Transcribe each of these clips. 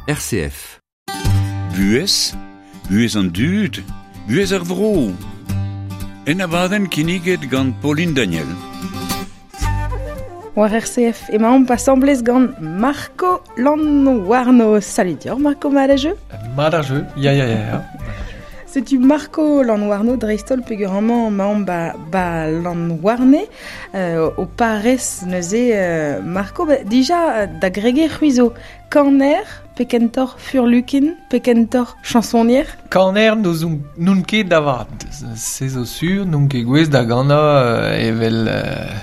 RCF. Buhez, buhez an dud, buhez ar vro. En abadenn kinniget gant Pauline Daniel. War RCF emaomp asambles gant Marco Lanwarno. Salut dior Marco, mat a jeu? Mat ar jeu, ya ya ya ya. Setu Marco Lanwarno dreist-holl peogwir amañ emaomp ba, ba Lanwarne euh, o parez neuze euh, Marco ba, dija da greger c'hwi zo kaner pe kentoc'h furlukin pe kentoc'h chansonnier? Kaner n'ouzon n'on ket da vat. Se zo sur, n'on ket gouest da ganañ euh, evel euh,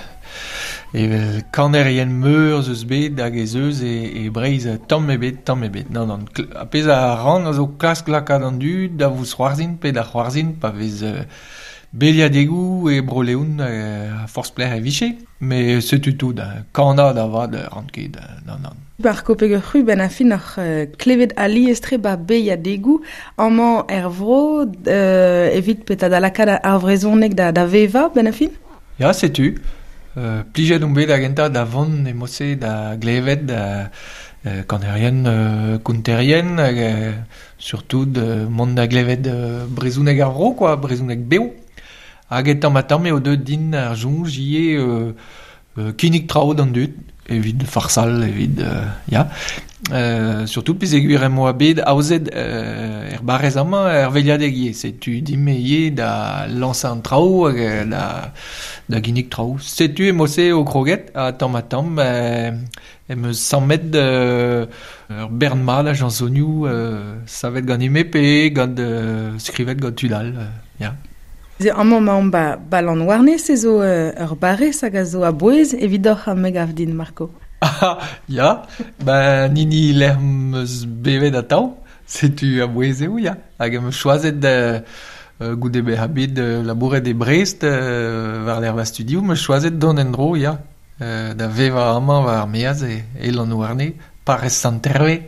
Evel kanerien meur 'z eus bet hag ez eus e Breizh tamm ebet, tamm ebet. Nann, nann. Ar pezh a ran a zo klask lakaat an dud da vousc'hoarzhin pe da c'hoarzhin pa vez beliadegoù e Bro-Leon a forzh pelec'h e vije. Met setu tout, kanañ da vat ran ket, nann, nann. Marco Peger-C'hwi 'benn ar fin oc'h klevet alies-tre 'ba beilhadegoù amañ er vro evit petra da lakaat ar vrezhoneg da vevañ 'benn ar fin? Ya, setu. Plijet on bet da gentañ da vont e mod-se da glevet kanerien, konterien hag surtout mont da glevet brezhoneg ar vro kwa, brezhoneg bev. Hag e tamm-ha-tamm eo deuet din ar soñj ivez kinnig traoù d'an dud evit farsal, evit ya. Surtout peogwir em boa bet aozet er barrez amañ er veilhadeg ivez. Setu din-me ivez da lañsañ an traoù hag da da ginnig traoù. Setu e-mod-se eo kroget ha tamm-ha-tamm em eus sammet ur bern mat a chañsonioù savet ganin-me pe gant skrivet gant tud all ya. Amañ emaomp ba ba Lanwarne, se zo ur barrez hag a zo a-bouez evidoc'h me gav din, Marco. Ah, ya, ben hini lec'h 'm eus bevet atav, setu a-bouez eo, ya. Hag em eus choazet goude bezañ bet labouret e Brest war-lerc'h va studioù, 'm eus choazet dont en-dro, ya, da vevañ amañ war ar maez e Lanhouarne, parrez Sant-Herve.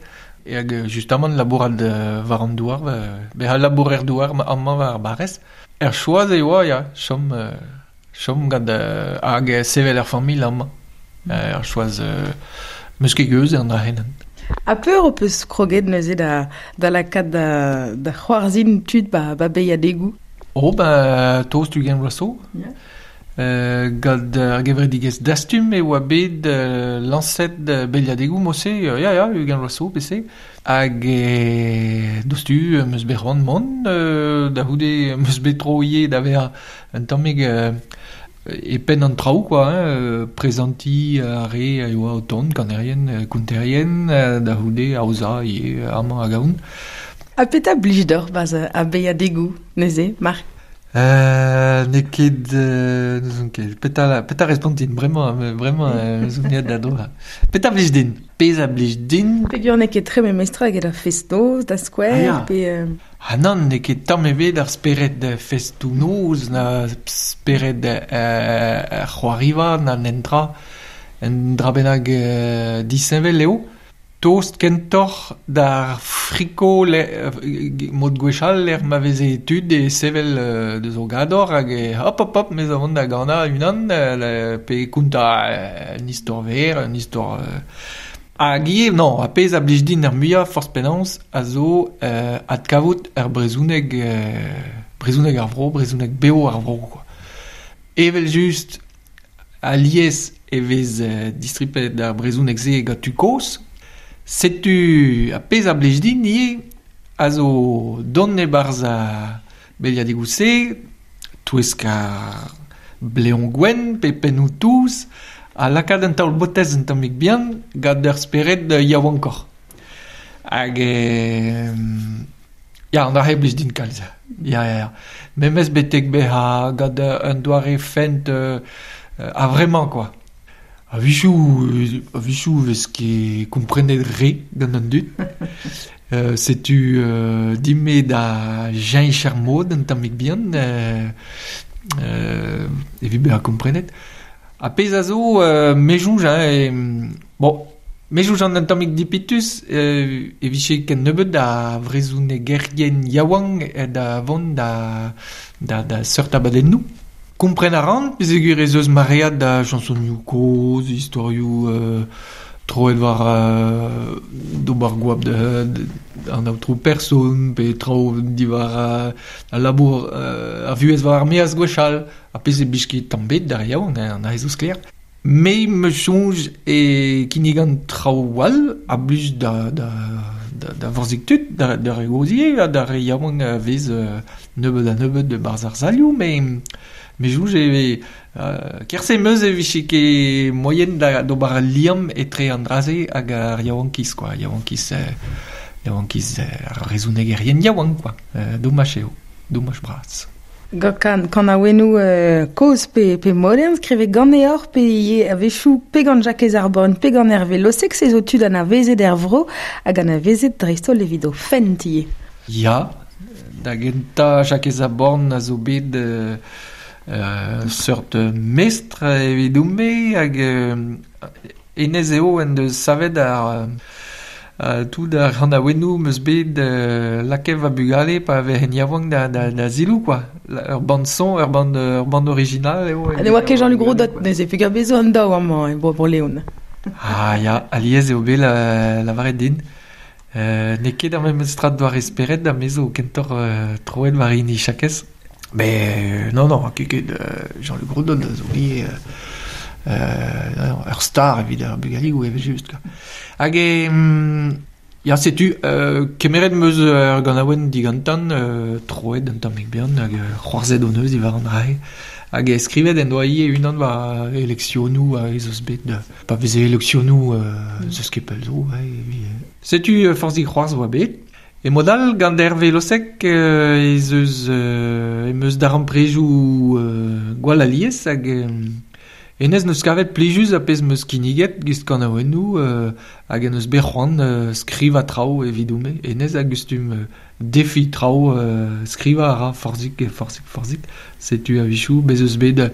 Hag justamant labourat war an douar, bezañ labourer-douar amañ war ar barrez. Er choaz e oa, ya, chom chom gant hag sevel ur familh amañ. Er choaz 'meus ket geuz an dra-se. Ha peur ho peus kroget neuze da da lakaat da da c'hoarzhin tud ba ba beilhadegoù? Oh ben tost ugent vloaz zo. Yeah. Gant ar gevredigezh Dastum e oa bet lañset beilhadegoù mod-se, ya ya, ugent vloaz zo bese. Hag dostu 'm eus bet c'hoant mont, da c'houde 'm eus bet tro ivez da vezañ un tammig e penn an traoù quoi, hein, prezantiñ ar re a oa o tont, kanerien, konterien, da c'houde aozañ ivez amañ hag ahont. Ha petra blij deoc'h 'barzh ar beilhadegoù neuze, Marc? N'eo ket n'ouzon ket petra petra respontin bremañ bremañ zo aet da droañ. Petra blij din? Pezh a blij din. Peogwir n'eo ket tre memestra eget ar fest-noz da skouer Ah, ya. pe Ah nann, n'eo ket tamm ebet ar spered festoù-noz na spered c'hoariva na nentra. Un dra bennak disheñvel eo. Tost kentoc'h d'ar friko mod gwechall lec'h ma veze tud e sevel deus o gador hag hop hop hop me zo vont da ganañ unan pe kontañ un istor verr, un istor Hag ivez, non, ar pezh a blij din ar muiañ forzh penaos a zo adkavout ar brezhoneg brezhoneg ar vro, brezhoneg bev ar vro quoi. Evel-just Alies e vez distripet ar brezhoneg-se gant tud kozh. Setu ar pezh a blij din ivez a zo dont e-barzh ar beliadegoù-se, touesk ar bleoñ gwenn pe pennoù touz, ha lakaat un taol botez un tammig bihan gant ur spered yaouankoc'h. Hag ya, an dra-se blij din kalz. Ya, ya, ya. Memes betek bezañ gant un doare fent a-vremañ quoi. A-wechoù a-wechoù 'vez ket komprenet re gant an dud. Setu din-me da cheñch ar mod un tammig bihan evit bezañ komprenet. Ar pezh a zo me soñj hein, bon me soñj an un tammig dipitus e vije ken nebeut a vrezhonegerien yaouank da vont da da da seurt abadennoù. Kompren a ran peogwir ez eus maread da chañsonioù kozh, istorioù troet war d'o ober goap da an aotrou person, pe traoù diwar al labour ar vuhez war ar maez gwechall, ar pezh e blij ket tamm bet d'ar yaouank, an aze zo sklaer. Me 'm eus soñj e kinnigan traoù all a blij da da da vorzhig tud, d'ar re gozh ivez ha d'ar re yaouank a vez nebeut ha nebeut e-barzh ar salioù, met me soñj e vez kerse 'm eus e vije ket moaien d'ober al liamm etre an dra-se hag ar yaouankiz kwa, yaouankiz yaouankiz ar brezhonegerien yaouank kwa, domaj eo, domaj bras. Gant kanaouennoù kozh pe modern skrivet ganeoc'h pe ivez a-wechoù pe gant Jakez ar Borgn pe gant Hervé Lossec, se zo tud anavezet er vro hag anavezet dreist-holl evit o fent ivez. Ya, da gentañ Jakez ar Borgn a zo bet seurt mestr evidon-me hag hennezh eo en deus savet ar tout ar c'hanaouennoù 'm eus bet lakaet va bugale pa vezen yaouank da ziloù kwa. Ur band-son, ur band ur band original eo. Ha ne oa ket Jean-Luc Rodot neuze peogwir bez zo an daou amañ e Bro-Leon. Ah ya, alies eo bet lavaret din. N'eo ket ar memes tra doare spered ha me zo kentoc'h troet war hini Jakez. Mais non, non, ket ket Jean-Luc Rodot a zo ivez ur star evit ar bugaligoù evel-just kwa. Hag ya setu kemeret 'm eus ur ganaouenn digantan troet un tammig bihan hag c'hoarzhet hon eus diwar an dra-se. Hag skrivet en doa ivez unan war eleksionoù a ez eus bet pa veze eleksionoù n'eus ket pell zo. Setu forzhik c'hoarzh oa bet. E mod all, gant Hervé Lossec ez eus em eus darempredoù gwall alies hag hennezh 'neus kavet plijus ar pezh 'm eus kinniget gist kanaouennoù hag en deus bet c'hoant skrivañ traoù evidon-me. Hennezh a gustum defiñ traoù, skrivañ a ra forzhik, forzhik, forzhik. Setu a-wechoù bez' eus bet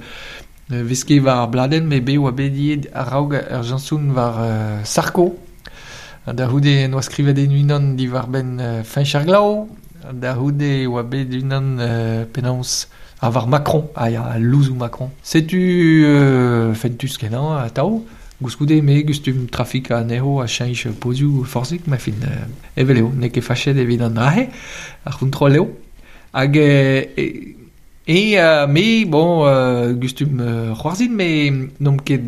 vez ket war ar bladenn met bet oa bet ivez a-raok ur jañson war Sarko. Da c'houde en doa skrivet unan diwar-benn Feñch ar Glav, da c'houde e oa bet unan penaos ha war Macron, ah ya, al louzoù Macron. Setu fentus-kenañ atav. Koulskoude me gustum trafikañ anezho ha cheñch pozioù forzhik, ma fin evel eo, n'eo ket fachet evit an dra-se, ar c'hontrol eo. Hag E me, bon, gustum c'hoarzhin, met n'omp ket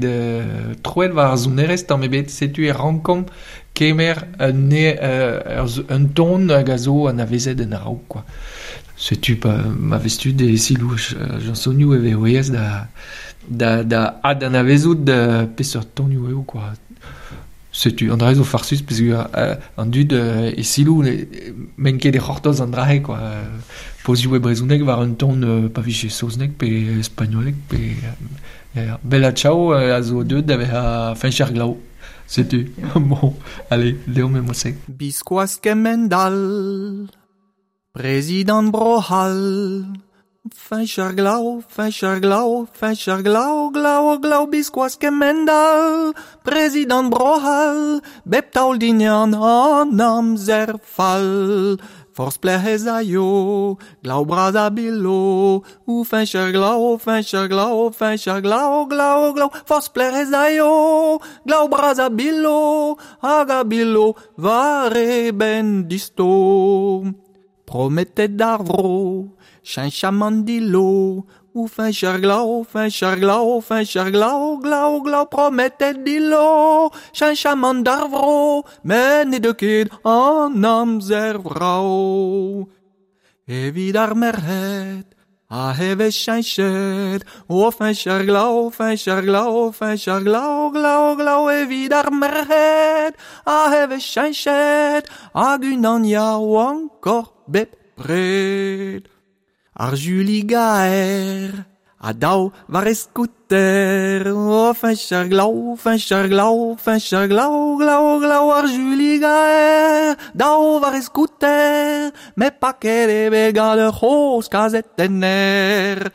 troet war ar sonerezh tamm ebet. Setu e rankomp kemer un, un ton hag a zo anavezet en a-raok, quoi. Setu pa ma vez tud e siloù chañsonioù e vez aes da, da, da adanavezout peseurt tonioù eo, quoi. Setu an dra zo farsus peogwir an dud e siloù n'emaint ket e c'hortoz an dra-se quoi. Pozioù e brezhoneg war un ton pa vije saozneg pe spagnoleg pe Bella Ciao a zo deuet da vezañ Feñch ar Glav. Setu, bon, allez, deomp emañ-se. Biskoazh kemend-all Prezidant Bro-C'hall Feñch ar glav, feñch ar glav, feñch ar glav, glav, glav biskoazh kemend-all Prezidant Bro-C'hall bep taol din an amzer fall Forzh pelec'h ez aio, glav bras a bilo O feñch ar glav, feñch ar glav, feñch ar glav, glav, glav Forzh pelec'h ez aio, glav bras a bilo Hag a bilo war e benn disto Prometet d'ar vro cheñchamant dillo O feñch ar glav, feñch ar glav, feñch ar glav, glav, glav Prometet dillo cheñchamant d'ar vro Met ne deu ket an amzer vrav Evit ar merc'hed a vez cheñchet O feñch ar glav, feñch ar glav, feñch ar glav, glav, glav Evit ar merc'hed a vez cheñchet Hag unan yaouankoc'h bepred Ar Juli gaer a dav war e skouter O feñch ar glav, feñch ar glav, feñch ar glav, glav, glav Ar Juli gaer dav war e skouter Met paket eo bet gant ur c'hozh kazetenner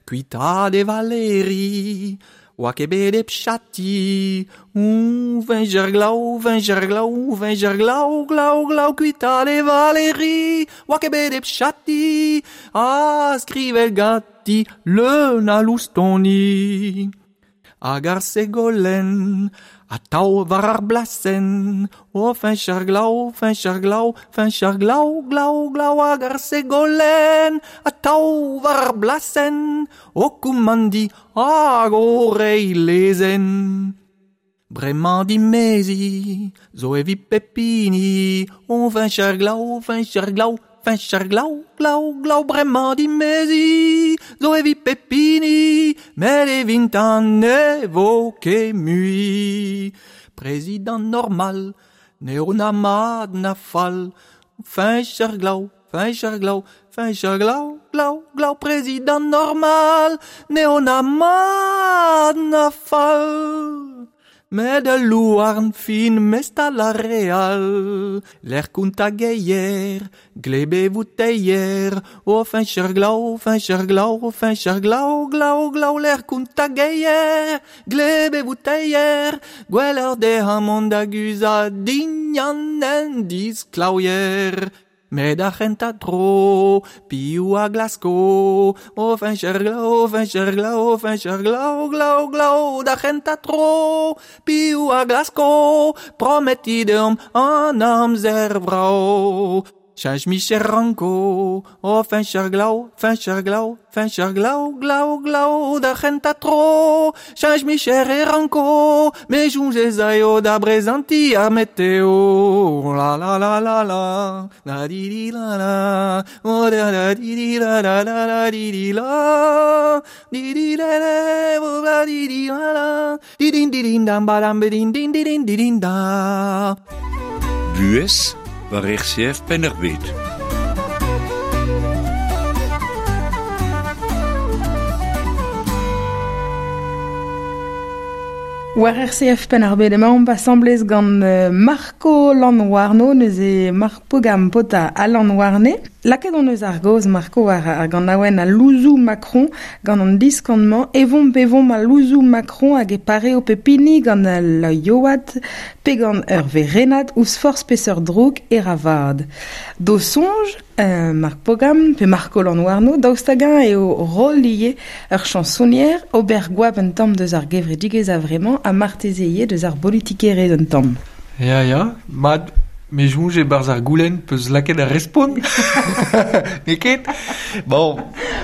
Kuitaat e Valeri oa ket bet hep chati O feñch ar glav, feñch ar glav, feñch ar glav, glav, glav Kuitaat e Valeri oa ket bet hep chati Ha skrivet ganti leun a loustoni Hag ar Segolenn A tau war ar blasen, o feñch ar glav, feñch ar glav, feñch ar glav, glav, glav hag ar segolen, a tau war ar blasen, o koumandi hag o reiñ lezenn. Bremañ dimezi, zo evit pep hini, o feñch ar glav, feñch ar glav, feñch ar glav, glav, glav, bremañ dimezi, zo evit pep hini, met evintañ ne vo ket mui. Prezidant normal, n'eo na mat na fall, feñch ar glav, feñch ar glav, feñch ar glav, glav, glav, prezidant normal, n'eo na mat na fall. Met ul louarn fin mestal ar re all, lec'h kontañ geier, gleb e vouteier, o feñch ar glav, feñch ar glav, feñch ar glav, glav, glav, lec'h kontañ geier, gleb e vouteier, gwelloc'h dezhañ mont da guzhat dindan un disklaouier. Met ar c'hentañ tro, piv a glasko, o feñch ar glav, feñch ar glav, feñch ar glav, glav, glav, d'ar c'hentañ tro, piv a glasko, prometiñ deomp an amzer vrav. Cheñch micher ranko, o feñch ar glav, feñch ar glav, feñch ar glav, glav, glav, d'ar c'hentañ tro, cheñch micher e ranko, me soñj ez aio da brezantiñ ar meteo. La la la la la, la di di la la, o da da di di la la la la di di la, di di la la, o la di di la la, di din di din dam ba dam ba din din di din di din da. Buhez war RCF Penn-ar-Bed. War RCF Penn-ar-Bed emaomp asambles gant Marco Lanhouarno, neuze Marc Pogam paotr a Lanhouarne. Lakaet hon eus ar gaoz Marco war ar ganaouenn al louzoù Macron gant an diskan-mañ Evomp evomp al louzoù Macron hag e pareo pep hini gant al yoad pe gant ur werennad ouzh forzh peseurt droug e ra vad. D'ho soñj, Marc Pogam pe Marco Lanhouarno, daoust hag-eñ eo roll ivez ur chañsonier, ober goap un tamm deus ar gevredigezh a-vremañ ha marteze ivez deus ar bolitikerezh un tamm. Ya, ya, mat, me soñj e-barzh ar goulenn peus lakaet ar respont. N'eo ket? Bon.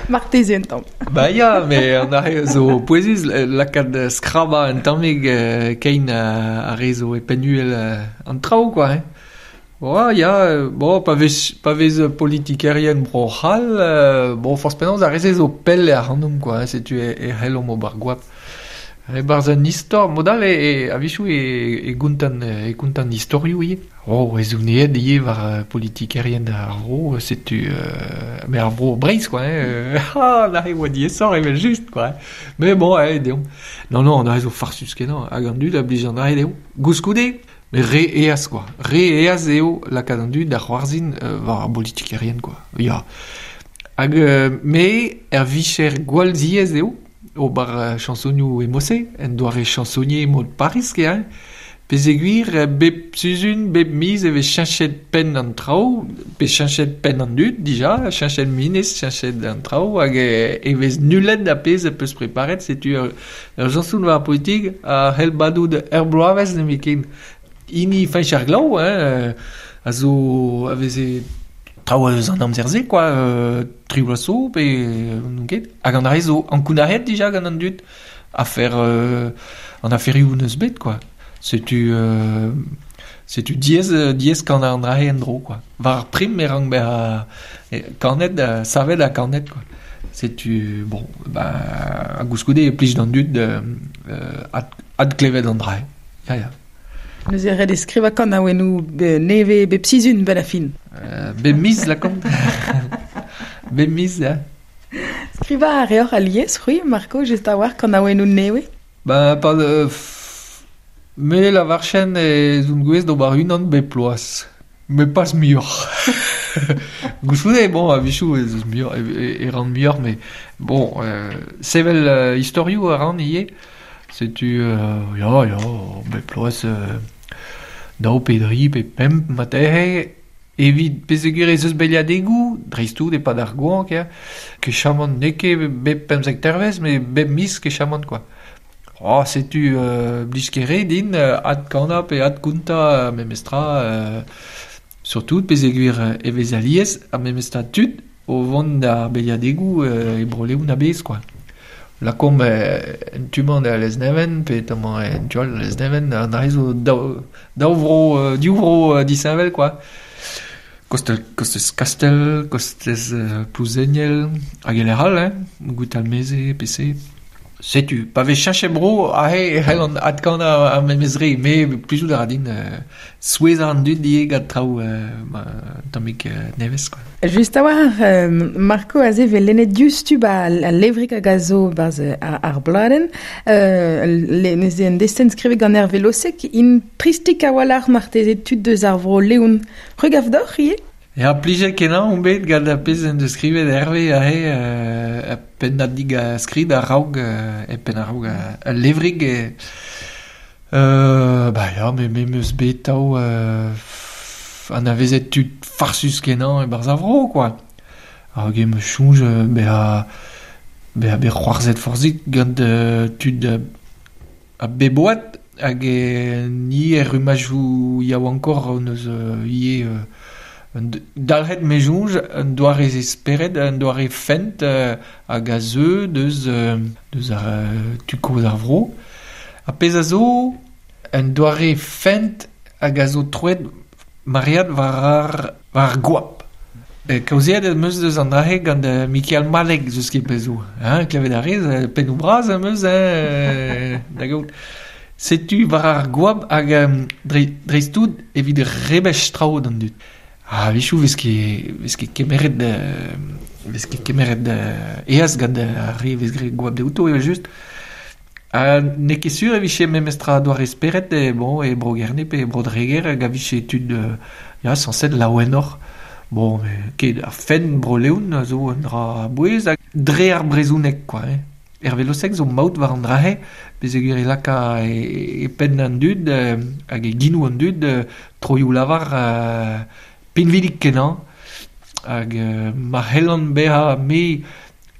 Marteze un tamm. Ba ya, met an aze zo pouezus lakaat skrabañ un tammig kein ar re zo e penn-uhel an traoù quoi hein. Oh, ya, bon, pa vez, pa vez politikerien Bro-C'hall, bon, forzh penaos ar re-se zo pell ac'hanomp quoi, hein, setu e, e c'hellomp ober goap. E-barzh un istor, mod-all e, e, a-wechoù e, e gontan, e kontan istorioù ivez. Oh, ez on aet ivez war politikerien ar vro, setu, mais ar vro Breizh quoi, hein, ah, neuze e oa diaesoc'h evel-just quoi. Mais bon, allez, deomp. Non, non, an dra zo farsus-kenañ, hag an dud a blij an dra dezho. Koulskoude, Met re aes quoi. Re aes eo lakaat an dud da c'hoarzhin war ar bolitikerien quoi. Ya. Hag me er vicher gwall ziaes eo ober chañsonioù e-mod-se, en doare chañsonier mod Pariz ket hein. Peogwir bep sizhun, bep miz e vez cheñchet penn an traoù, pe cheñchet penn an dud dija, cheñchet ministr, cheñchet an traoù hag e vez nullet ar pezh az peus preparet. Setu ur chañson war ar politik a c'hell badout ur bloavezh nemetken. Hini Feñch ar Glav hein, a zo a veze traoù eus an amzer-se kwa, tri bloaz zo pe n'on ket. Hag an dra-se zo ankounac'haet dija gant an dud afer an aferioù n'eus bet kwa. Setu setu diaes diaes kanañ an dra-se en-dro kwa. War ar prim e rank bezañ kanet, savet ha kanet kwa. Setu bon ba ha koulskoude e plij d'an dud adklevet an dra-se. Ya ya. Neuze ret eo skrivañ kanaouennoù nevez bep sizhun 'benn ar fin. Bep miz lakaomp. Bep miz ya. Skrivañ a reoc'h alies, c'hwi, Marco, just a-walc'h kanaouennoù nevez? Ba pa me lavarchen ez on gouest d'ober unan bep bloaz. Met pas muioc'h. Koulskoude, bon, a-wechoù ez eus muioc'h, e ran muioc'h, met bon, sevel istorioù a ran ivez. Setu ya, ya, bep bloaz daou pe dri pe pemp marteze. Evit peogwir ez eus beilhadegoù, dreist-tout e-pad ar goañv, ket chamant n'eo ket bep pemzek dervezh, met bep miz ket chamant kwa. Oh, setu blij ket re din adkanañ pe adkontañ memestra surtout peogwir e vez alies ar memestra tud o vont d'ar beilhadegoù e Bro-Leon a-bezh quoi. Lakaomp en tu-mañ da Lesneven pe tamañ en tu all da Lesneven, an dra-se zo daou vro, div vro disheñvel quoi. Kostez Kastell, kostez Plouzeniel, hag e lec'h all hein, Gwitalmeze, PC. Setu, pa vez cheñchet bro, aze e c'hellan adkanañ ar memes re, met plijout a ra din souezhañ an dud ivez gant traoù un tammig nevez quoi. Just a-walc'h, Marco aze 'vez lennet diouzhtu 'ba al levrig hag a zo 'barzh ar bladenn. Neuze un destenn skrivet gant Hervé Lossec, int tristik a-walc'h marteze tud deus ar vro Leon. C'hwi 'gav deoc'h ivez? Ya, plijet kenañ on bet gant ar pezh en deus skrivet Hervé aze ur pennadig a skrid a-raok e penn a-raok al levrig. Ba ya, me 'm eus bet atav anavezet tud farsus kenañ e-barzh ar vro quoi. Hag em eus soñj bezañ bet c'hoarzhet forzhik gant tud a bep oad hag ni er rummadoù yaouankoc'h hon eus ivez dalc'het me soñj un doare spered, un doare fent hag a zeu deus ar tu kozh ar vro. Ar pezh a zo un doare fent hag a zo troet maread war ar goap. Kaozeet em eus deus an dra-se gant Mikael Malek eus ket pezh zo. Hein, klevet a rez, pennoù bras am eus hein, da gaout. Setu war ar goap hag dreist-tout evit rebech traoù d'an dud. Ha a-wechoù 'vez ket kemeret aes gant ar re 'vez graet goap dezho evel-just. Ha n'eo ket sur e vije memestra doare spered bon, e Bro-Gerne pe e Bro-Dreger hag a vije tud ya, sañset laouenoc'h. Bon, ket ar fenn Bro-Leon a zo un dra a-bouez hag dre ar brezhoneg quoi hein. Hervé Lossec zo maout war an dra-se peogwir e laka e penn an dud hag e genoù an dud troioù-lavar pinvidik-kenañ hag ma c'hellan bezañ me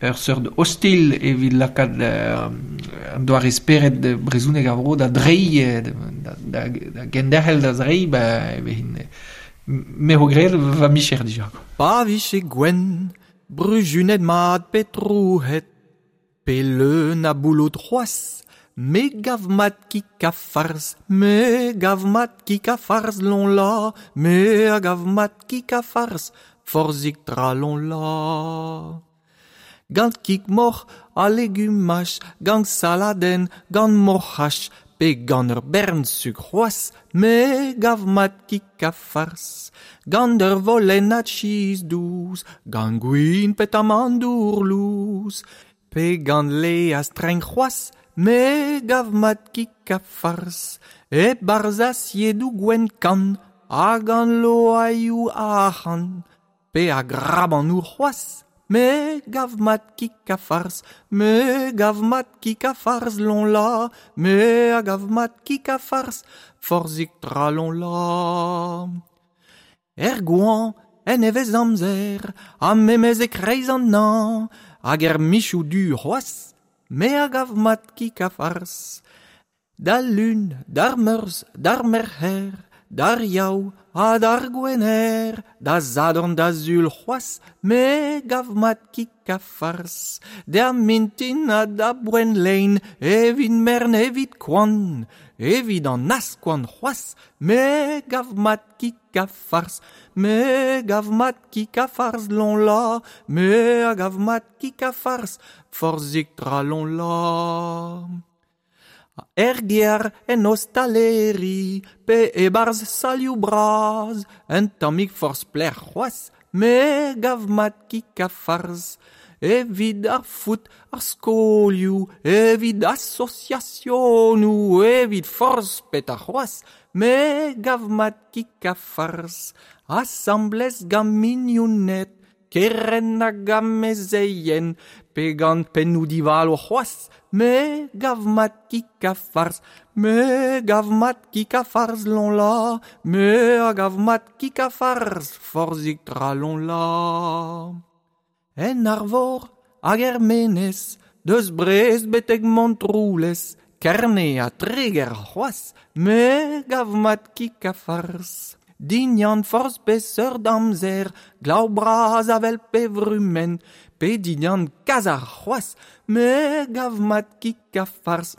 ur seurt ostilh evit lakaat an doare spered brezhoneg ar vro da dreiñ, da genderc'hel da zreiñ, ba e vezin me eo graet va micher dija. Pa vije gwenn, bruzunet mat pe trouc'het, pe leun a boulot c'hoazh, me gav mat kig ha farz, me gav mat kig ha farz lonla, me a gav mat kig ha farz, forzhik tra lonla. Gant kig moc'h ha legumaj, gant saladenn, gant moc'haj, pe gant ur bern sukr c'hoazh, me gav mat kig ha farz. Gant ur volennad cheese dous, gant gwin pe tamandour lous, pe gant laezh trenk c'hoazh, me gav mat kig ha farz. E-barzh asiedoù gwenn-kann, ha gant loaioù arc'hant, pe a grabanoù c'hoazh, me gav mat kig ha farz, me gav mat kig ha farz lonla, me a gav mat kig ha farz, forzhik tra lonla. Er goañv, en nevez amzer, ha memes e-kreiz an hañv, hag er michoù du c'hoazh, me a gav mat kig ha farz. D'al lun, d'ar meurzh, d'ar merc'her, d'ar yaou ha d'ar gwener, da sadorn da sul c'hoazh, me gav mat kig ha farz. D'ar mintin ha da boent lein, evit mern, evit koan, evit an askoan c'hoazh, me gav mat kig ha farz. Me gav mat kig ha farz lonla, me a gav mat kig ha farz, forzhik tra lonla. Er gêr en ostaleri, pe e-barzh salioù bras, un tammig forzh pelec'h c'hoazh, me gav mat kig ha farz. Evit ar foot, ar skolioù, evit asosiasionoù, evit forzh petra c'hoazh, me gav mat kig ha farz. Asambles gant mignoned, kerent hag amezeien, pe gant pennoù divalo c'hoazh, me gav mat kig ha farz, me gav mat kig ha farz lonla, me a gav mat kig ha farz, forzhik tra lonla. En Arvor hag er Menez, deus Brest betek Montroulez, Kerne ha Treger c'hoazh, me gav mat kig ha farz. Dindan forzh peseurt amzer, glav bras avel pe vrumenn, pe dindan kazarc'h c'hoazh, me gav mat kig ha farz.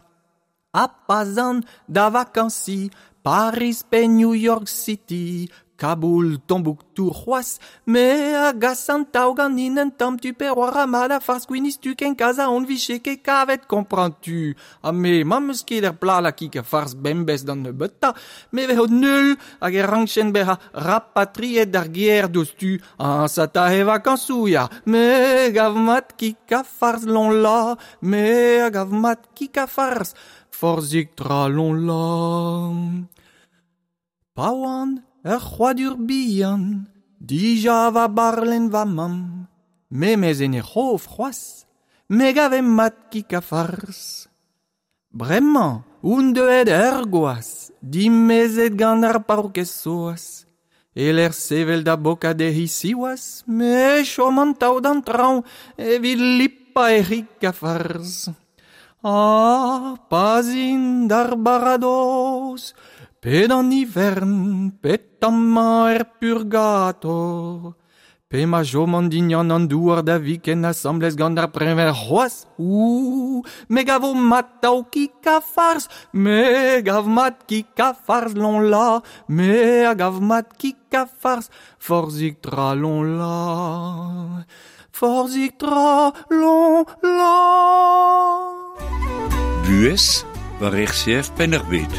Ha pa 'z an da vakañsiñ, Pariz pe New York City, Kaboul, Tombouctou c'hoazh, me a gas an tav ganin un tamm tu pe war mat a farz gwinizh-tu ken kaza on vije ket kavet kompreñtu. Ha me, ma 'm eus ket er plad a kig ha farz bemdez d'an nebeutañ, me vezo null hag e rankjen bezañ rapatriet d'ar gêr diouzhtu. Añsata e vakañsoù ya, me gav mat kig ha farz loñla, me a gav mat kig ha farz, forzhik tra loñla. Pa oan ur c'hrouadur bihan, dija va barlenn va mamm, memes en he c'hof c'hoazh, me gave mat kig ha farz. Bremañ on deuet ur gwaz, dimezet gant ar paourkaezh Soaz. E-lec'h sevel da bokat dezhi siwazh, me chom an tav d'an traoñ evit lipañ he c'hig ha farz. Ha pa 'z in d'ar baradoz, pe d'an ivern, pe tamañ er purgator, pe ma choman dindan an douar da viken asambles gant ar preñved c'hoazh, ouh, me gavo mat tav kig ha farz, me gav mat kig ha farz loñla, me a gav mat kig ha farz, forzhik tra loñla, forzhik tra loñla. Buhez war RCF Penn-ar-Bed.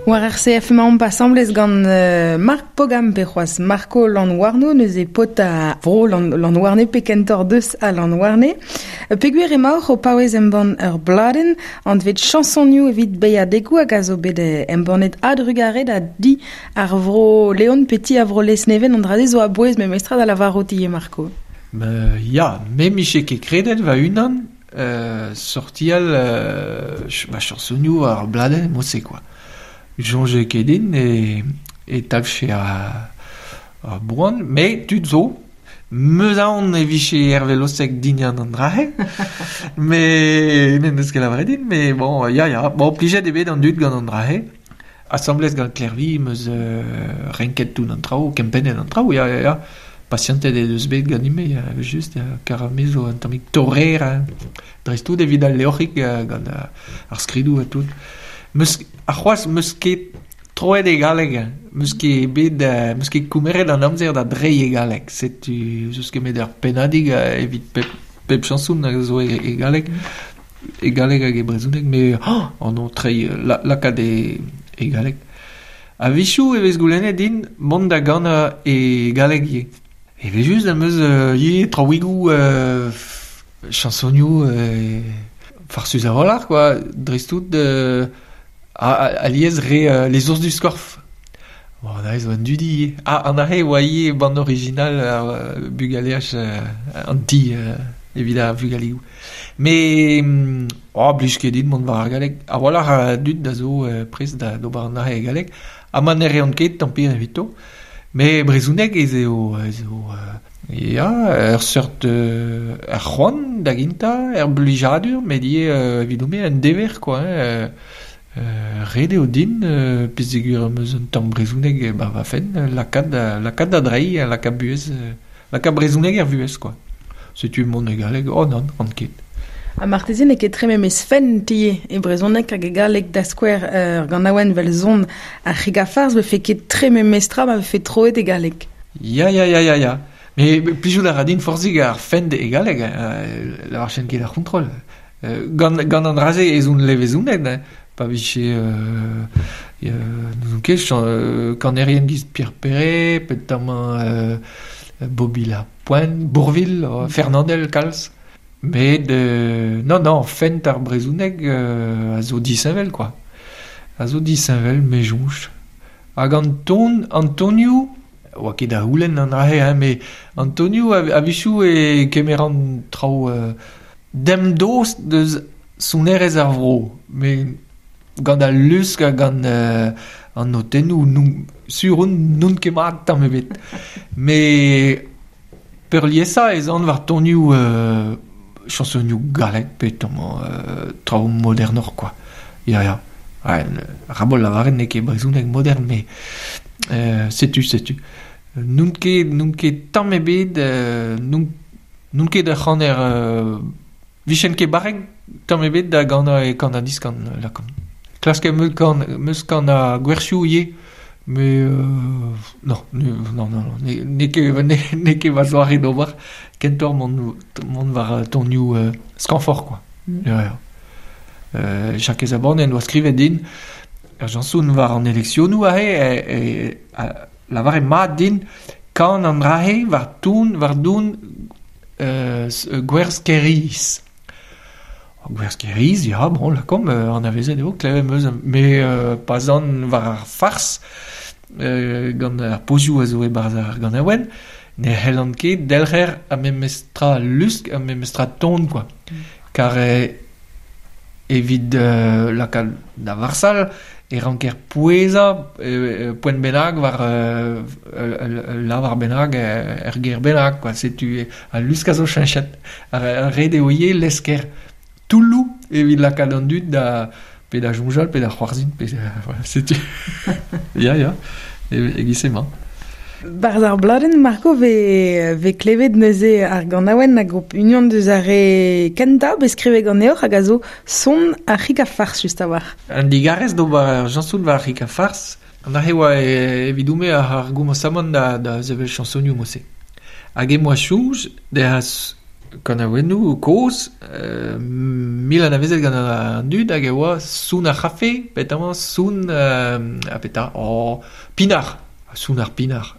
War RCF emaomp asambles gant Marc Pogam pe c'hoazh Marco Lanhouarno, neuze paotr a vro Lanhouarne pe kentoc'h deus a Lanhouarne. Peogwir emaoc'h o paouez embann ur bladenn anvet Chañsonioù evit beilhadegoù hag a zo bet embannet a-drugarez da di ar vro Leon pe ti ar vro Lesneven, an dra-se zo a-bouez memestra da lavarout ivez Marco. Ya, me 'mije ket kredet va-unan sortial ma chañsonioù war ar bladenn mod-se kwa. Soñje ket din e talvfe ar boan, met tud zo. 'Meus aon e vije Herve Losec dindan an dra-se, met n'en deus ket lavaret din, met bon, ya, ya, bon, plijet eo bet an dud gant an dra-se. Asambles gant Klervi 'meus renket tout an traoù, kempennet an traoù, ya, ya, ya. Pasianted he deus bet ganin-me, evel-just, kar me zo un tammig torrer, hein. Dreist-tout evit al levrig gant ar skridoù ha tout. 'Meus ha c'hoazh 'meus ket troet e galleg, 'meus ket bet 'meus ket komeret an amzer da dreiñ e galleg. Setu 'z eus ket met ur pennadig evit pep pep chañson a zo e galleg. E galleg hag e brezhoneg, met an treiñ lakaat e galleg. A-wechoù e vez goulennet din mont da ganañ e galleg ivez. Evel-just am eus ivez traoùigoù chañsonioù farsus a-walc'h kwa, dreist-tout alies re Les ours du Scorff. Bon, aze zo un dudi ivez. Ah, an aze e oa ivez band original ar bugaleaj an ti evit ar vugaligoù. Met oh, blij ket din mont war ar galleg. A-walc'h a dud a zo prest d'ober an aze e galleg. Ha ma ne reont ket, tant pis evito. Met brezhoneg ez eo ez eo ya, ur seurt ur c'hoant da gentañ, ur blijadur, met ivez evidon-me un dever quoi hein. Ret eo din, peogwir am eus un tamm brezhoneg e ba va fenn, lakaat lakaat da dreiñ, lakaat buhez, lakaat brezhoneg er vuhez quoi. Setu mont e galleg, oh nann, ran ket. Ha marteze n'eo ket tre memes fent ivez e brezhoneg hag e galleg da skouer ur ganaouenn 'vel son ar c'hig-ha-farz 'vefe ket tre memes tra ma vefe troet e galleg. Ya, ya, ya, ya, ya. Mais plijout a ra din forzhik ar fent e galleg, lavarchen ket ar c'hontrol. Gant, gant an dra-se ez on levezonet, hein. Pa vije n'ouzon ket kanerien giz Pierre Perret, petamant Bobby Lapointe, Bourvil, Fernandel kalz. Met non, non, fent ar brezhoneg a zo disheñvel kwa. A zo disheñvel, me soñj. Hag an ton, an tonioù, oa ket da c'houlenn an dra-se, hein, met an tonioù a-wechoù e kemeran traoù demdost deus sonerezh ar vro, met gant al lusk ha gant An notennoù n'on sur on n'on ket mat tamm ebet. Met peurliesañ ez an war tonioù chañsonioù gallek pe tamm traoù modernoc'h kwa. Ya ya. Rabol lavaret n'eo ket brezhoneg modern met setu setu. N'on ket n'on ket tamm ebet n'on n'on ket ur c'haner 'vijen ket barrek tamm ebet da ganañ e kan-ha-diskan lakaomp. Klask em eus kan 'meus kanañ gwersioù ivez met non non non n'eo ket n'eo ket ma zoare d'ober kentoc'h mont mont war tonioù skañvoc'h kwa. Ya ya. Jakez Aborn en doa skrivet din ur chañson war an eleksionoù aze e lavaret mat din kan an dra-se war ton war don gwerz Kêr-Iz. Gwerz Kêr-Iz, ya, bon, lakaomp, anavezet eo, klevet 'm eus, met pa 'z an war ar fars gant ar pozioù a zo e-barzh ar ganaouenn, ne c'hellan ket delc'her ar memes tra lusk, ar memes tra ton, quoi. Kar evit lakaat da varsal e ranker pouezañ poent bennak war ul lavar bennak, ur ger bennak, quoi. Setu al lusk a zo cheñchet. Ar ret eo ivez lesker toulloù evit lakaat an dud da pe da soñjal pe da c'hoarzhin pe voilà, setu. Ya, ya, e-giz emañ. Barzh ar bladenn Marco vez vez klevet neuze ar ganaouenn hag ho unan deus ar re kentañ bet skrivet ganeoc'h hag a zo son ar c'hig ha fars just a-walc'h. Un digarez d'ober chañsoù war ar c'hig ha fars. An aze oa evidon-me ar gomañsamant da da sevel chañsonioù mod-se. Hag em boa soñj degas kanaouennoù kozh mil anavezet gant an dud hag e oa son ar c'hafe, petamant son ha petra oh pinard, son ar pinard.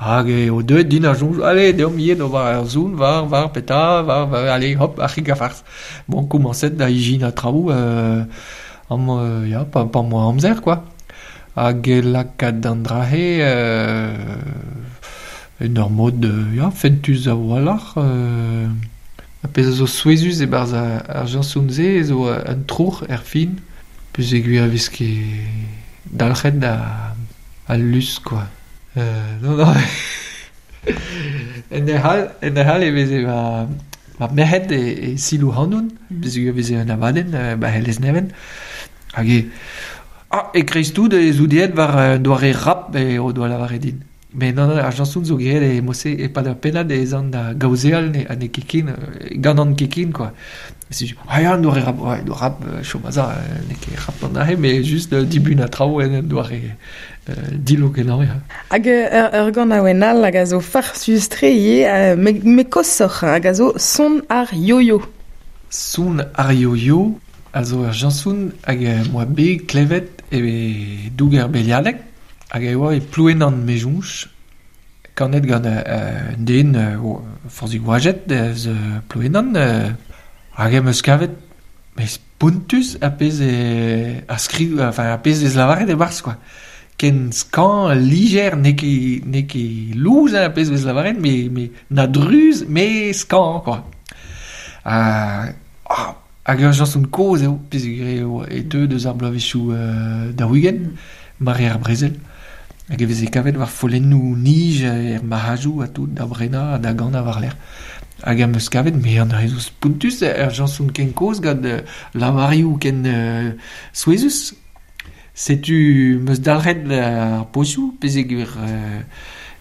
Hag eo deuet din ar soñj, allez, deomp ivez d'ober ur son war war petra, war war allez hop, ar c'hig ha fars. Bon, komañset da ijinañ traoù amañ ya, pa pa 'm boa amzer quoi. Hag e lakaat an dra-se en ur mod ya, fentus a-walc'h. Ar pezh a zo souezhus e-barzh ar chañson-se zo un troc'h er fin, peogwir e vez ket dalc'het al lusk quoi. Non non en hec'h en hec'h all e veze va va merc'hed e selaou ac'hanon, peogwir e veze un abadenn ba he Lesneven. Hag e ah e-kreiz-tout ez out aet war un doare rap eo doa lavaret din. Met non, non, ar chañson zo graet e mod-se e-pad ur pennad ez an da gaozeal ha n'eo ket ken, ganan ket ken quoi. Setu, ah ya, un doare rap, ouais, doare rap, chom a za, n'eo ket rap an aze, met just dibunañ traoù en un doare dillo-kenañ, ya. Hag ur ganaouenn all hag a zo farsus-tre ivez, met koshoc'h, hag a zo Son ar yo-yo. Son ar yo-yo a zo ur chañson hag em boa bet klevet e doug ar Beliadeg hag e oa e Plouenan me soñj, kanet gant un den forzhig oajet eus Plouenan hag em eus kavet met spontus ar pezh a skriv enfin ar pezh vez lavaret e-barzh quoi. Ken skañv, lijer, n'eo ket n'eo ket lous ar pezh vez lavaret met met na druz met skañv quoi. Ha hag ur chañson kozh eo peogwir eo e teu deus ar bloavezhioù 40, mare ar brezel. Hag e veze kavet war follennoù-nij er marc'hadoù ha tout da brenañ ha da ganañ war-lerc'h. Hag am eus kavet me an dra zo spontus ur chañson ken kozh gant lavarioù ken souezhus. Setu 'm eus dalc'het ar pozioù peogwir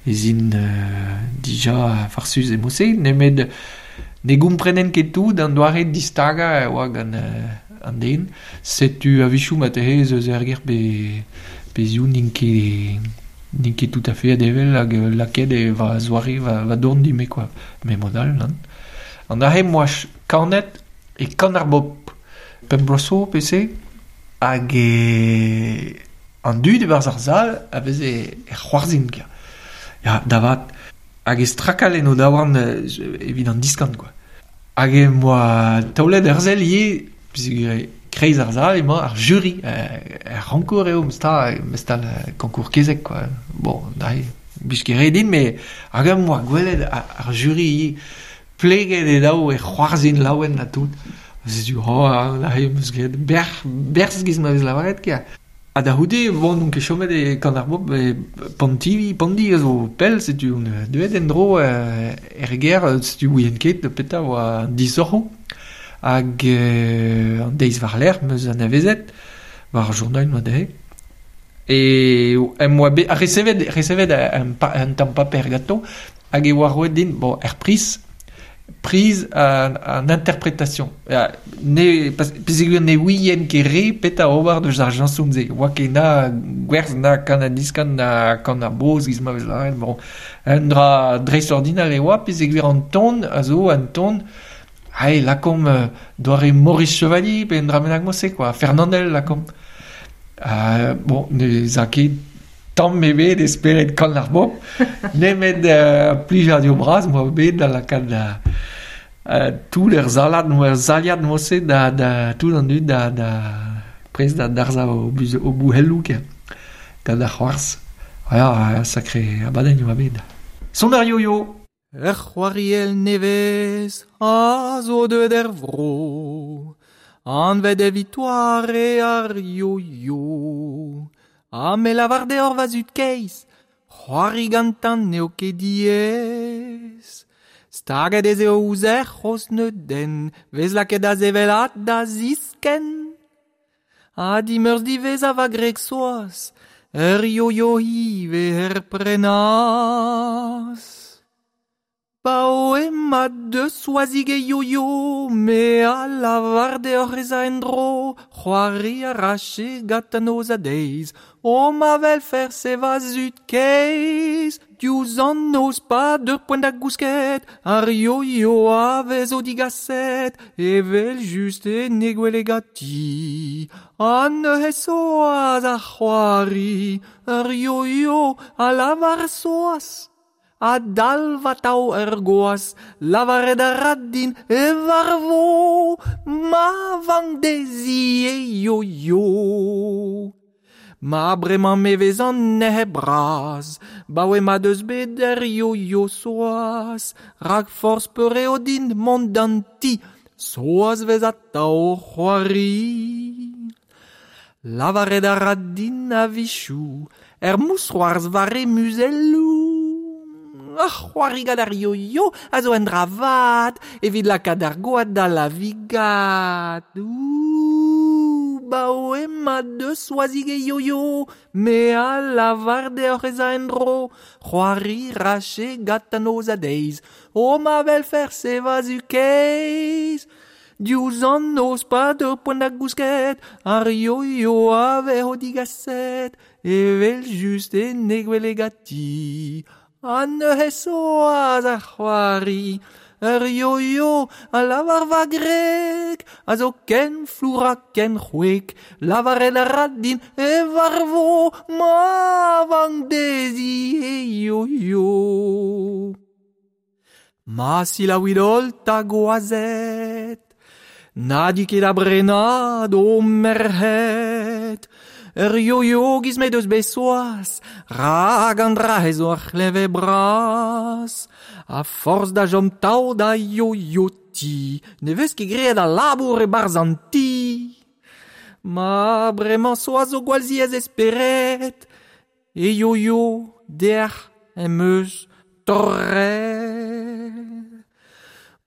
ez int dija farsus e mod-se nemet ne gomprenen ket tout an doare distagañ e oa gant an den. Setu a-wechoù marteze ez eus ur ger pe pezhioù n'int ket n'int ket tout à fait evel hag lakaet eo va zoare va va dorn din-me quoi. Met mod all nann. An aze 'm boa kanet e Kan ar Bobl pemp bloaz zo pe se hag e an dud e-barzh ar sal a veze e c'hoarzhin kwa. Ya da vat. Hag e strakal en o daouarn evit an diskan quoi. Hag em boa taolet ur sell ivez peogwir e-kreiz ar sal emañ ar juri er c'honkour eo memestra memestal konkour kezeg quoi. Bon neuze 'blij ket re din met hag em boa gwelet ar juri ivez pleget e daou e c'hoarzhin laouen ha tout. Setu oh neuze 'm eus graet bec'h berzh 'giz ma vez lavaret kwa. Ha da c'houde, bon, on ket chomet e Kan ar Bobl e Pontivy, Pondi a zo pell, setu on deuet en-dro er gêr, setu ouien ket petra oa an disoc'hoù. Hag an deiz war-lerc'h 'm eus anavezet war ar journal 'noa dezhe. E em boa bet resevet, resevet un, un tamm paper ganto hag e oa roet din, bon, er priz, priz an, an interpretation. Ne, peogwir ne ouien ket re petra ober deus ar chañson-se. Oa ket na gwerz na kan an diskan na kan ar boz giz ma vez lâret. Bon, un dra dreistordinal e oa peogwir an ton a zo un ton Hey, lakaomp doare Maurice Chevalier pe un dra bennak mod-se quoi, Fernandel lakaomp. Bon, ne za ket tamm ebet e spered Kan ar Bobl, nemet plijadur bras 'moa bet da lakaat tout er salad, er saliad mod-se da, da tout an dud da, da prest da darzhañ o, o bouhelloù gant ar c'hoarzh. Ya, sakre abadenn oa bet. Son ar yo-yo! Ur c'hoariell nevez a zo deuet er vro, anvet evit doare ar yo-yo. Ha me lavar deoc'h va zud keizh, c'hoari gantañ n'eo ket diaes. Staget ez eo ouzh er c'hozh neudenn, 'vez lakaet da sevel ha da ziskenn. Ha dimeurzh diwezhañ va gwreg Soaz, ur yo-yo ivez er prenas. Paoe ma deus Soazig e yo-yo, me a lavar deoc'h ez a en-dro, c'hoari a rache gant an noz ha deiz. O ma welfer se va zud keizh, diouzh an noz pa deur poent da gousket, ar yo-yo a vezo digaset, evel-just en he gwele ganti. Ha neuze Soaz a c'hoari, ur yo-yo a lavar Soaz. A dalv atav ur gwaz, lavaret a ra din e varvo ma vank dezhi e yo-yo. Ma bremañ me vez an nec'h bras, 'baoe ma deus bet ur yo-yo Soaz, rak forzh peur eo din mont d'an ti, Soaz 'vez atav o c'hoari. Lavaret a ra din a-wechoù er mousc'hoarzh war he muzelloù. Ar c'hoari gant ar yo-yo a zo un dra vat evit lakaat ar gwad da lavigat. Ouh, 'baoe ma deus Soazig e yo-yo, me a lavar deoc'h ez a en-dro. C'hoari 'rache gant an noz ha deiz. O ma welfer se va zu keizh! Diouzh an noz pa deu poent da gousket, ar yo-yo a vezo digaset, evel-just en he gwele ganti. Ha neuze Soaz a c'hoari, ur yo-yo a lavar va gwreg, a zo ken flour ha ken c'hwek, lavaret a ra din e varvo ma vank dezhi he yo-yo. Ma selaouit holl 'ta gwazed, na dit ket da brenañ d'ho merc'hed. Ur yo-yo 'giz m'he deus bet Soaz, rak an dra-se zo ur c'hleñved bras. A-forzh da chom tav da yo-yo-ti, ne vez ket graet al labour e-barzh an ti. Ma bremañ Soaz zo gwall ziaes e spered, e yo-yo dec'h em eus torret.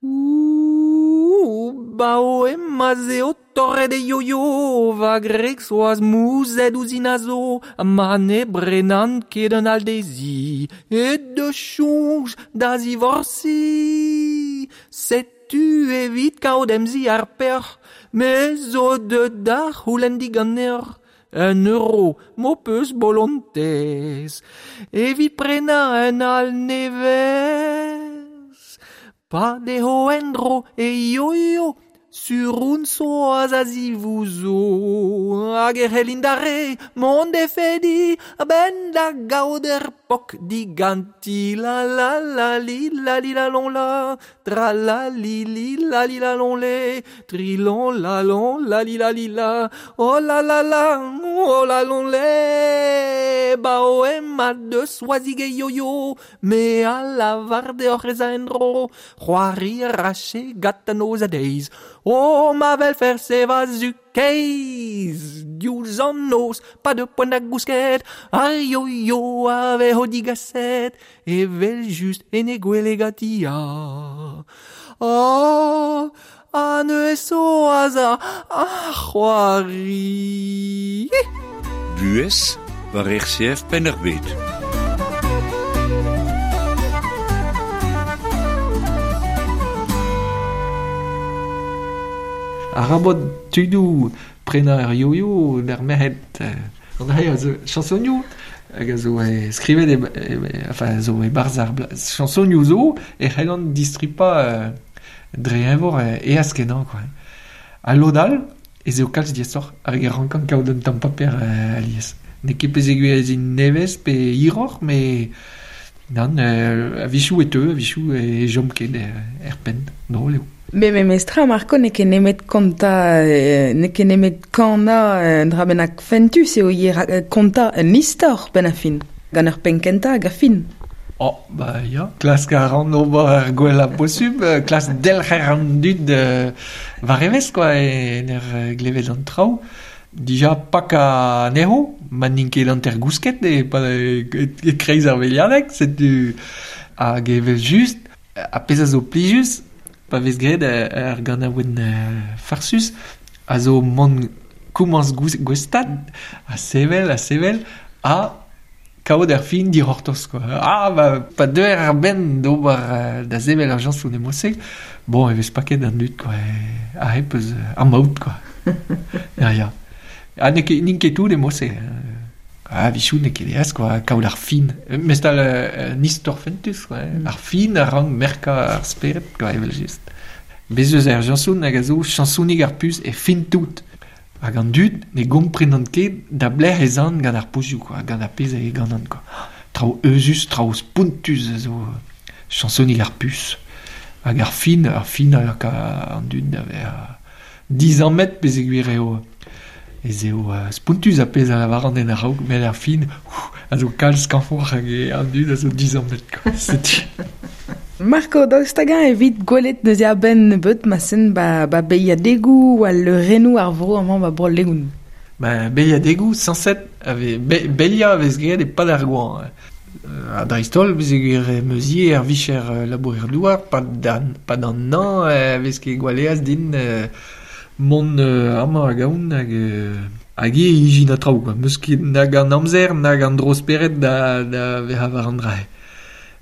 Ouh, 'baoe ma'z eo torret e yo-yo, va gwreg Soaz mouzhet ouzhin a zo, ha ma ne brenan ket un all dezhi, he deus soñj da zivorsiñ. Setu evit kaout em zi ar peoc'h, me zo deuet da c'houlenn diganeoc'h un euro m'ho peus bolontez evit prenañ un all nevez. Pa dezho en-dro e yo-yo, sur on Soaz a zivouzo, hag e c'hellin d'ar re mont d'he fediñ a-benn da gaout ur pok diganti. La la la li la li la lon la, tra la li li la li la lon le, tri lon la lon la li la li la, oh la la la, oh la lon le. 'Baoe ma deus Soazig e yo-yo, Me a lavar deoc'h ez a en-dro, c'hoari a rache gant an noz ha deiz. O ma vel fer se va zu keiz diouzh an noz pa de poent da gousket ar yo-yo a vez o digaset evel just en e gwele ganti ah oh a neuze so aza a c'hoari. Buhez war RCF Penn-ar-Bed. Arabat tudoù prenañ ar yo-yo d'ar merc'hed. An dra a zo chansonioù hag a zo skrivet e, e, enfin, zo e-barzh ar chansonioù zo e c'hellan distripañ dre eñvor eas kenañ quoi. Ha lod all ez eo kalz diaesoc'h hag e rankan kaout un tamm paper alies. N'eo ket peogwir ez int nevez pe hiroc'h met nann a-wechoù e teu, a-wechoù e chom ket er penn. Drol eo. Me memestra, Marco, n'eo ket nemet kontañ, n'eo ket nemet kanañ un dra bennak fentus eo ivez kontañ un istor benn ar fin, gant ur penn kentañ hag ar fin. Oh, ba ya, klask a ran ober ar gwellañ posubl, klask delc'her an dud war evezh quoi, en ur glevet an traoù. Dija pakañ anezho, ma n'int ket hanter-gousket e-kreiz ar veliadeg, setu hag evel-just, ar pezh a zo plijus, pa vez graet ar ganaouenn farsus, a zo mont komañs gouestad, ha sevel, ha sevel, ha kaout ar fin dic'hortoz quoi. Ah, ba, pa deuer ar benn d'ober da sevel ar jañsoù emo-se, bon, e vez paket an dud quoi, a hep eus ar maout quoi. Ya, ya. Ha n'eo ket, n'int ket tout emo-se. Ah, a-wechoù n'eo ket aes quoi, kaout ar fin. Mestal un istor fentus quoi. Ar fin a rank merkañ ar spered quoi, evel-just. Bez eus ar jañsoun hag a zo chañsounig ar pus e fin tout. Hag an dud ne gomprenont ket da blec'h ez an gant ar pozioù quoi, gant ar pezh e ganan quoi. Traoù euzhus, traoù spontus a zo chañsonig ar pus. Hag ar fin, ar fin a laka an dud da vezañ dizammet peogwir eo ez eo spontus ar pezh a lavaran en a-raok, met ar fin a zo kalz skañvoc'h hag an dud a zo dizammet quoi. Setu. Marco, daoust hag-eñ evit gwelet neuze a-benn nebeut ma sen ba, ba beilhadegoù ha leurennoù ar vro amañ ba Bro-Leon? Ba beilhadegoù sañset a vez be, beilhañ a vez graet e-pad ar goañv. Ha dreist-holl peogwir em eus ivez ar vicher labourer-douar, pad an, pad an hañv e vez ket gwall aes din mont amañ hag ahont hag hag ivez ijinañ traoù quoi. 'Meus ket nag an amzer nag an dro-spered da, da vezañ war an dra-se.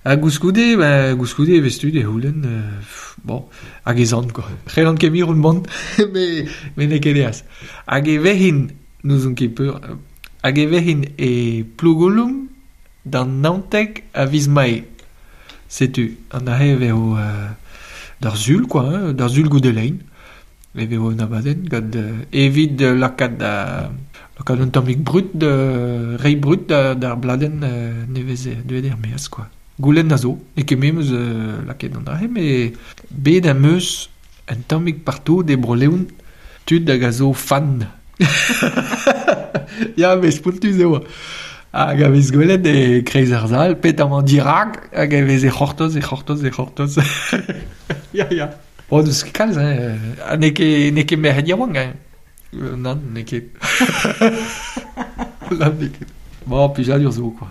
Ha gouskoude, ben, gouskoude e vez tud e c'houlenn, bon, hag ez an quoi. C'hellan ket mirout mont, met, met n'eo ket aes. Hag e vehin, n'ouzon ket peur, hag e vehin e Plougoloum d'an 19 a viz Mae. Setu, an aze e vezo d'ar sul quoi, hein, d'ar sul goude lein. E vezo un abadenn gant evit lakaat da lakaat un tammig brud, reiñ brud d'ar bladenn nevez deuet er-maez quoi. Goulenn a zo, n'eo ket me 'm eus lakaet an dra-se, met bet am eus un tammig partout e Bro-Leon tud hag a zo fan. Ya, met spontus eo. Hag a vez gwelet e-kreiz ar sal, pet amañ dirak, hag e vez e c'hortoz, e c'hortoz, e c'hortoz. Ya, ya. Oh, n'eus ket kalz, hein. Ha n'eo ket, n'eo ket merc'hed yaouank, hein. Nann, n'eo ket. Nann, n'eo ket. Bon, plijadur zo, quoi.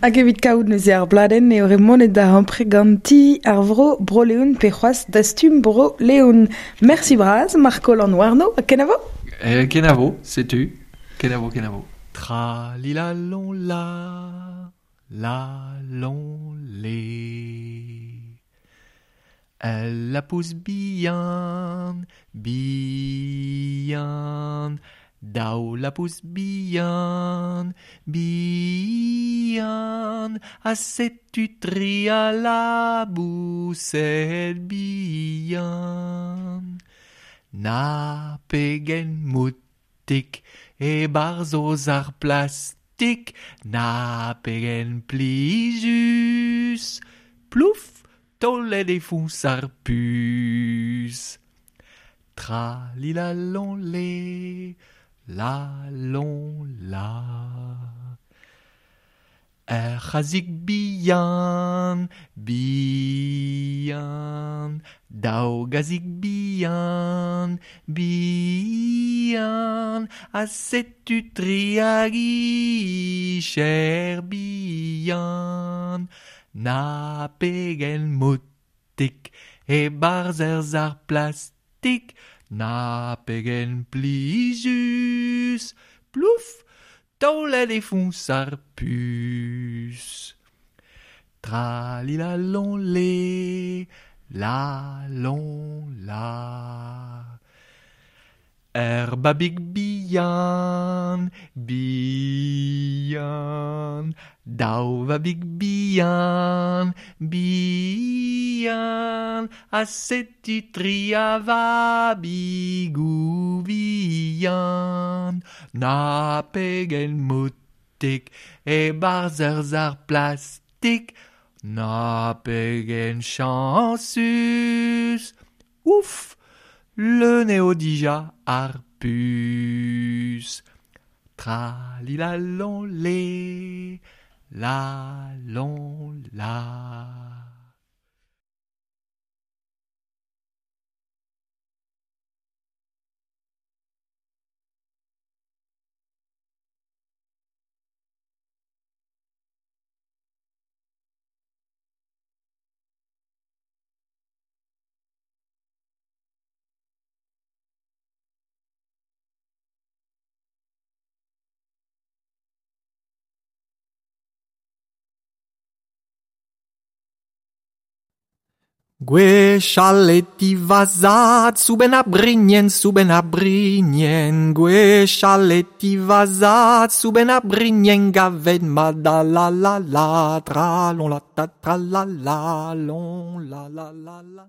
Hag evit kaout neuze ar bladenn eo ret monet da ampre ganti ar vro Bro-Leon pe c'hoazh dastum Bro-Leon. Mersi bras, Marco Lanwarno, ha kenavo? Eh, kenavo, setu. Kenavo, kenavo. Tra li la lon la, la lon le. El lapous bihan, bihan, daou lapous bihan, bihan, ha setu tri a laboused bihan. Na pegen moutik e-barzh o sac'h plastik, na pegen plijus, plouf, taolet e foñs ar puñs. Tra li la lon le, la lon la. Ur c'hazig bihan, bihan, daou gazig bihan, bihan, ha setu tri hag cher bihan. Na pegen motik e-barzh ur sac'h plastik, na pegen plijus, plouf, taolet e foñs ar puñs. Tra li la lon le, la lon la. Ur babig bihan, bihan, daou vabig bihan, bihan, ha setu tri a vabigoù bihan. Na pegen motik e-barzh ur sac'h plastik, na pegen chañsus, ouf, leun eo dija ar puñs. Tra li la lon le, la lon la. Gwechall e ti va zad, soubenn ar brignen, soubenn ar brignen. Gwechall e ti va zad, soubenn ar brignen, gavet ma da la la la, tra lon la ta tra la la lon la la la la.